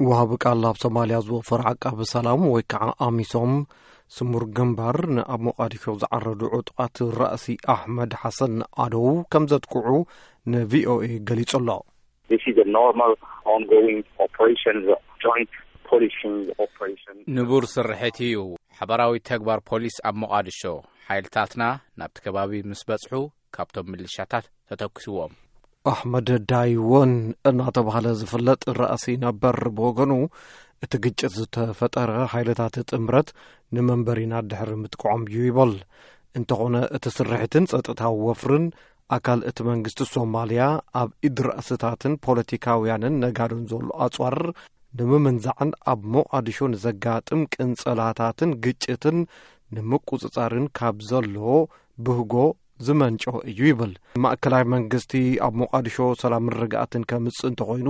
ወሃቢ ቃል ኣብ ሶማልያ ዝወፈረ ዓቃቢ ሰላም ወይ ከዓ ኣሚሶም፣ ስሙር ግንባር ንኣብ ሞቓዲሾ ዝዓረዱ ዕጡቓት ራእሲ ኣሕመድ ሓሰን ኣደው ከም ዘጥቅዑ ንቪኦኤ ገሊጹ ኣሎ። This is a normal ongoing operation, joint policing operation. ንቡር ስርሒት እዩ። ሓበራዊ ተግባር ፖሊስ ኣብ ሞቓዲሾ፣ ሓይልታትና ናብቲ ከባቢ ምስ በጽሑ ካብቶም ምልሻታት ተተኩስዎም። ኣሕመድ ዳይወን እናተባህለ ዝፍለጥ ራእሲ ነበር ብወገኑ፣ እቲ ግጭት ዝተፈጠረ ሓይልታት ጥምረት ንመንበሪና ድሕሪ ምጥቅዖም እዩ ይበል። እንተኾነ እቲ ስርሒትን ጸጥታዊ ወፍርን ኣካል እቲ መንግስቲ ሶማልያ ኣብ ኢድ ራእስታትን ፖለቲካውያንን ነጋዶን ዘሎ ኣጽዋር ንምምንዛዕን ኣብ ሞቓዲሾ ንዘጋጥም ቅንጸላታትን ግጭትን ንምቁጽጻርን ካብ ዘሎ ብህጎ ዝመንጮ እዩ ይብል። ማእከላይ መንግስቲ ኣብ ሞቓዲሾ ሰላምን ርግኣትን ከምጽእ እንተኾይኑ፣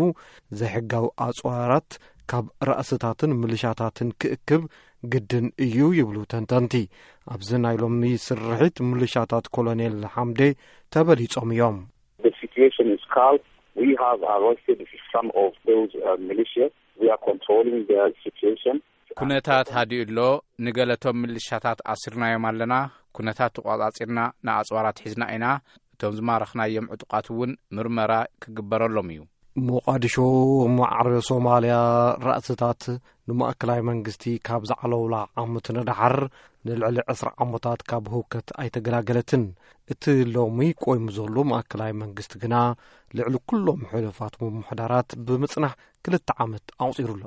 ዘይሕጋዊ ኣጽዋራት ካብ ራእስታትን ምልሻታትን ክእክብ ግድን እዩ ይብሉ ተንተንቲ። ኣብዚ ናይ ሎሚ ስርሒት ምልሻታት ኮሎኔል ሓምዴ ተበሊጾም እዮም። The situation is calm. We have arrested some of those uh, militias. We are controlling the situation. ኩነታት ሃዲኡ ኣሎ። ንገለቶም ምልሻታት ኣሲርናዮም ኣለና። ኩነታት ተቋጻጺርና ንኣጽዋራት ሒዝና ኢና። እቶም ዝማረኽናዮም ዕጡቓት እውን ምርመራ ክግበረሎም እዩ። ሞቓዲሾ ማዕረ ሶማልያ ራእስታት ንማእከላይ መንግስቲ ካብ ዝዓለውላ ዓመት ንደሓር ንልዕሊ ዕስራ ዓመታት ካብ ህውከት ኣይተገላገለትን። እቲ ሎሚ ቆይሙ ዘሎ ማእከላይ መንግስቲ ግና ልዕሊ ኩሎም ሕሉፋት ምምሕዳራት ብምጽናሕ ክልተ ዓመት ኣቑጺሩ ኣሎ።